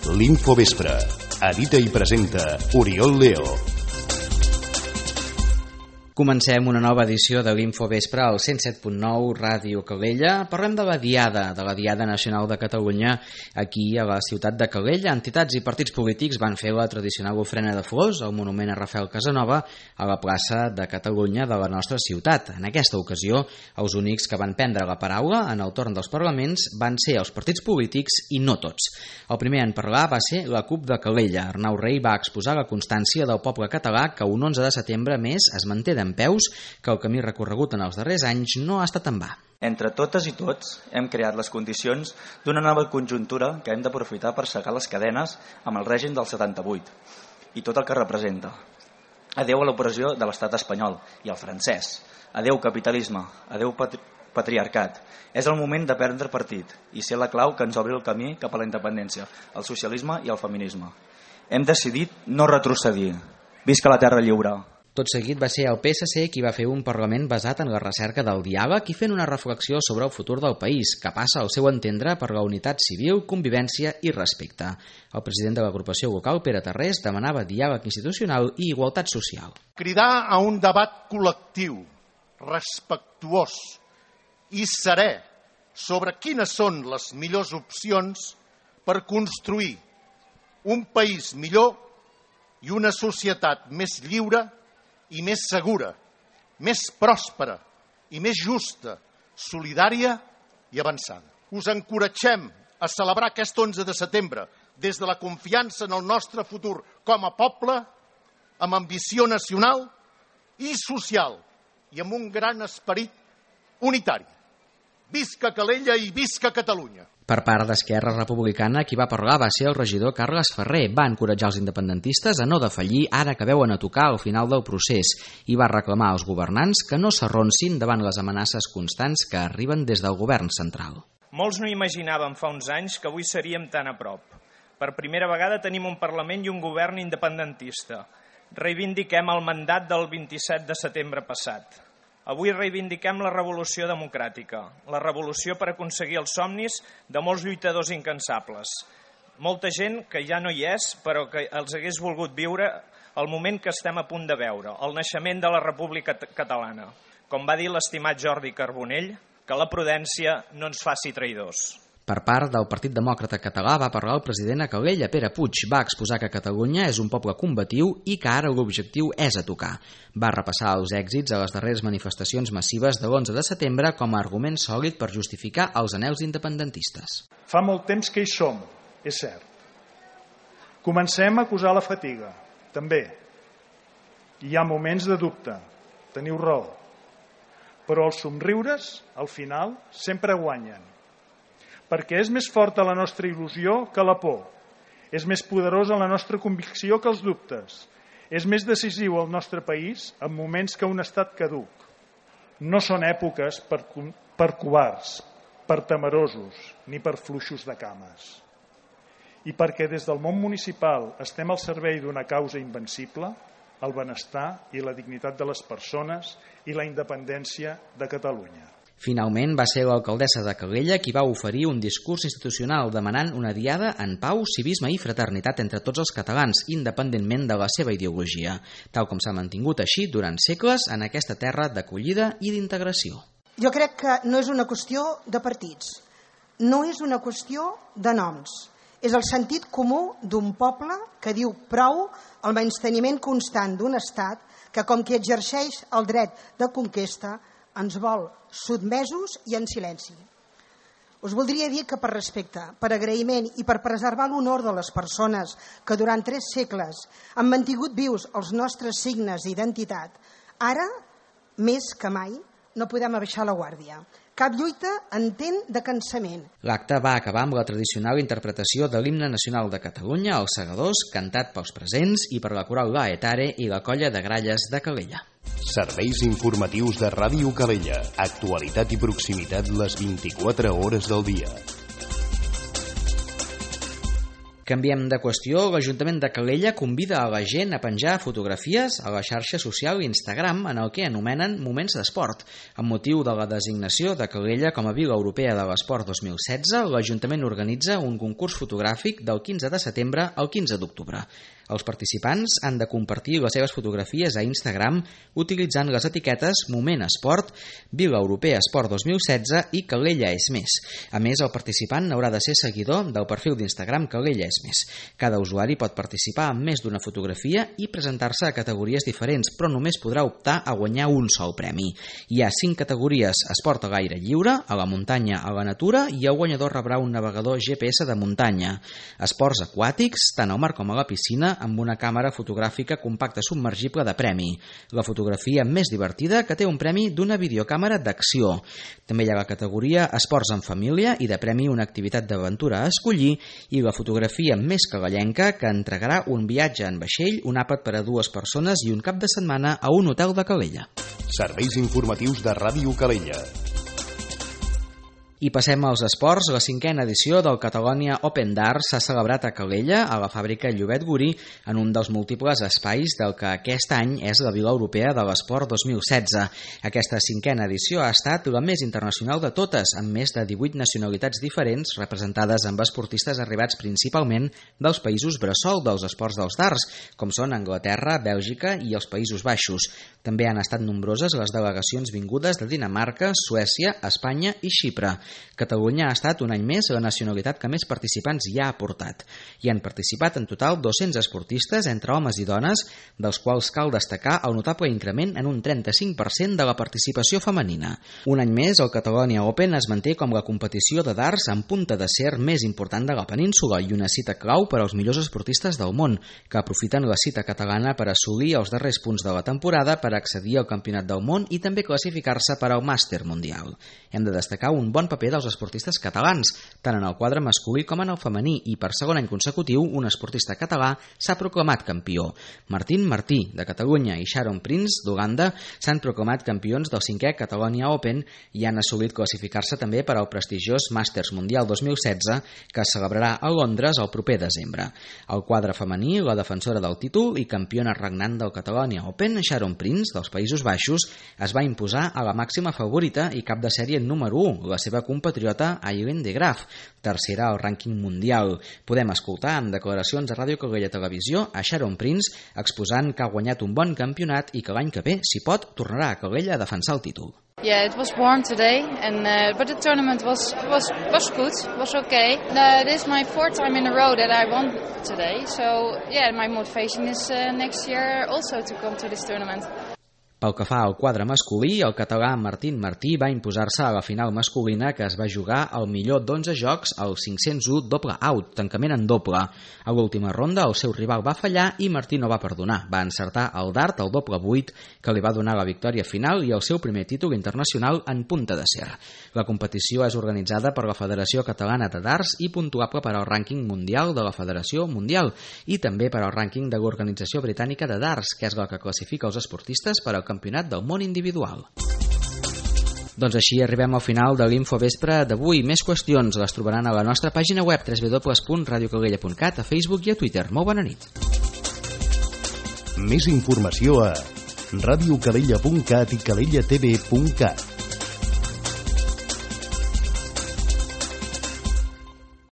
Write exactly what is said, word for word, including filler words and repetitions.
L'Infovespre. Edita i presenta Oriol Leo. Comencem una nova edició de l'Infovespre al cent set punt nou Ràdio Calella. Parlem de la Diada, de la Diada Nacional de Catalunya aquí a la ciutat de Calella. Entitats i partits polítics van fer la tradicional ofrena de flors al monument a Rafael Casanova a la plaça de Catalunya de la nostra ciutat. En aquesta ocasió, els únics que van prendre la paraula en el torn dels parlaments van ser els partits polítics i no tots. El primer en parlar va ser la CUP de Calella. Arnau Rei va exposar la constància del poble català que un onze de setembre més es manté d'en peus, que el camí recorregut en els darrers anys no ha estat en va. Entre totes i tots hem creat les condicions d'una nova conjuntura que hem d'aprofitar per segar les cadenes amb el règim del setanta-vuit i tot el que representa. Adeu a l'opressió de l'estat espanyol i el francès. Adeu capitalisme, adeu patri patriarcat. És el moment de prendre partit i ser la clau que ens obri el camí cap a la independència, el socialisme i el feminisme. Hem decidit no retrocedir. Visca la terra lliure! Tot seguit va ser el P S C qui va fer un Parlament basat en la recerca del diàleg i fent una reflexió sobre el futur del país, que passa al seu entendre per la unitat civil, convivència i respecte. El president de l'agrupació local, Pere Tarrés, demanava diàleg institucional i igualtat social. Cridar a un debat col·lectiu, respectuós i serè sobre quines són les millors opcions per construir un país millor i una societat més lliure i més segura, més pròspera i més justa, solidària i avançada. Us encoratgem a celebrar aquest onze de setembre des de la confiança en el nostre futur com a poble, amb ambició nacional i social i amb un gran esperit unitari. Visca Calella i visca Catalunya! Per part d'Esquerra Republicana, qui va parlar va ser el regidor Carles Ferrer. Va encoratjar els independentistes a no defallir ara que veuen a tocar al final del procés i va reclamar als governants que no s'arronsin davant les amenaces constants que arriben des del govern central. Molts no imaginàvem fa uns anys que avui seríem tan a prop. Per primera vegada tenim un Parlament i un govern independentista. Reivindiquem el mandat del vint-i-set de setembre passat. Avui reivindiquem la revolució democràtica, la revolució per aconseguir els somnis de molts lluitadors incansables. Molta gent que ja no hi és, però que els hagués volgut viure el moment que estem a punt de veure, el naixement de la República Catalana. Com va dir l'estimat Jordi Carbonell, que la prudència no ens faci traïdors. Per part del Partit Demòcrata Català va parlar el president a Calella, Pere Puig. Va exposar que Catalunya és un poble combatiu i que ara l'objectiu és a tocar. Va repassar els èxits a les darreres manifestacions massives de l'onze de setembre com a argument sòlid per justificar els anhels independentistes. Fa molt temps que hi som, és cert. Comencem a acusar la fatiga, també. Hi ha moments de dubte, teniu raó. Però els somriures, al final, sempre guanyen. Perquè és més forta la nostra il·lusió que la por. És més poderosa la nostra convicció que els dubtes. És més decisiu el nostre país en moments que un estat caduc. No són èpoques per, per covards, per temerosos, ni per fluixos de cames. I perquè des del món municipal estem al servei d'una causa invencible, el benestar i la dignitat de les persones i la independència de Catalunya. Finalment va ser l'alcaldessa de Calella qui va oferir un discurs institucional demanant una diada en pau, civisme i fraternitat entre tots els catalans, independentment de la seva ideologia, tal com s'ha mantingut així durant segles en aquesta terra d'acollida i d'integració. Jo crec que no és una qüestió de partits, no és una qüestió de noms. És el sentit comú d'un poble que diu prou al menysteniment constant d'un estat que, com qui exerceix el dret de conquesta, ens vol sotmesos i en silenci. Us voldria dir que per respecte, per agraïment i per preservar l'honor de les persones que durant tres segles han mantingut vius els nostres signes d'identitat, ara, més que mai, no podem abaixar la guàrdia. Cap lluita entén de cansament. L'acte va acabar amb la tradicional interpretació de l'himne nacional de Catalunya, els Segadors, cantat pels presents i per la coral Laetare i la colla de gralles de Calella. Serveis informatius de Ràdio Calella. Actualitat i proximitat les vint-i-quatre hores del dia. Canviem de qüestió. L'Ajuntament de Calella convida a la gent a penjar fotografies a la xarxa social Instagram en el que anomenen Moments d'Esport. Amb motiu de la designació de Calella com a Vila Europea de l'Esport dos mil setze, l'Ajuntament organitza un concurs fotogràfic del quinze de setembre al quinze d'octubre. Els participants han de compartir les seves fotografies a Instagram utilitzant les etiquetes Moment Esport, Vila Europea Esport dos mil setze i Calella és més. A més, el participant haurà de ser seguidor del perfil d'Instagram Calella és més. Cada usuari pot participar amb més d'una fotografia i presentar-se a categories diferents, però només podrà optar a guanyar un sol premi. Hi ha cinc categories: esport a l'aire lliure, a la muntanya, a la natura, i el guanyador rebrà un navegador G P S de muntanya. Esports aquàtics, tant al mar com a la piscina, amb una càmera fotogràfica compacta submergible de premi. La fotografia més divertida, que té un premi d'una videocàmera d'acció. També hi ha la categoria Esports en família i de premi una activitat d'aventura a escollir, i la fotografia més cagallenca, que entregarà un viatge en vaixell, un àpat per a dues persones i un cap de setmana a un hotel de Calella. Serveis informatius de Ràdio Calella. I passem als esports. La cinquena edició del Catalonia Open Darts s'ha celebrat a Calella, a la fàbrica Llobet Gurí, en un dels múltiples espais del que aquest any és la Vila Europea de l'Esport dos mil setze. Aquesta cinquena edició ha estat la més internacional de totes, amb més de divuit nacionalitats diferents representades amb esportistes arribats principalment dels països bressol dels esports dels darts, com són Anglaterra, Bèlgica i els Països Baixos. També han estat nombroses les delegacions vingudes de Dinamarca, Suècia, Espanya i Xipre. Catalunya ha estat un any més la nacionalitat que més participants hi ha aportat. Hi han participat en total dos-cents esportistes entre homes i dones, dels quals cal destacar el notable increment en un trenta-cinc per cent de la participació femenina. Un any més, el Catalonia Open es manté com la competició de darts en punta d'acer més important de la península i una cita clau per als millors esportistes del món, que aprofiten la cita catalana per assolir els darrers punts de la temporada per accedir al Campionat del Món i també classificar-se per al Màster Mundial. Hem de destacar un bon paper dels esportistes catalans, tant en el quadre masculí com en el femení, i per segon any consecutiu un esportista català s'ha proclamat campió. Martín Martí, de Catalunya, i Sharon Prince, d'Uganda, s'han proclamat campions del cinquè Catalonia Open i han assolit classificar-se també per al prestigiós Màsters Mundial dos mil setze, que es celebrarà a Londres el proper desembre. Al quadre femení, la defensora del títol i campiona regnant del Catalonia Open, Sharon Prince, dels Països Baixos, es va imposar a la màxima favorita i cap de sèrie número u, la seva compatriota Aileen de Graaf, tercera al rànquing mundial. Podem escoltar en declaracions a Ràdio Calella Televisió a Sharon Prince exposant que ha guanyat un bon campionat i que l'any que ve, si pot, tornarà a Calella a defensar el títol. Yeah, it was warm today, and uh, but the tournament was was was good, was okay. Uh, this is my fourth time in a row that I won today, so yeah, my motivation is uh, next year also to come to this tournament. Pel que fa al quadre masculí, el català Martín Martí va imposar-se a la final masculina, que es va jugar al millor d'onze jocs al cinc-cents u doble out, tancament en doble. A l'última ronda el seu rival va fallar i Martí no va perdonar. Va encertar el dart al doble vuit, que li va donar la victòria final i el seu primer títol internacional en punta d'acer. La competició és organitzada per la Federació Catalana de Darts i puntuable per al rànquing mundial de la Federació Mundial i també per al rànquing de l'Organització Britànica de Darts, que és la que classifica els esportistes per al Campionat del Món individual. Doncs així arribem al final de l'Infovespre d'avui. Més qüestions les trobaran a la nostra pàgina web w w w punt radio calella punt cat, a Facebook i a Twitter. Molt bona nit. Més informació a radiocalella punt cat i calella t v punt cat.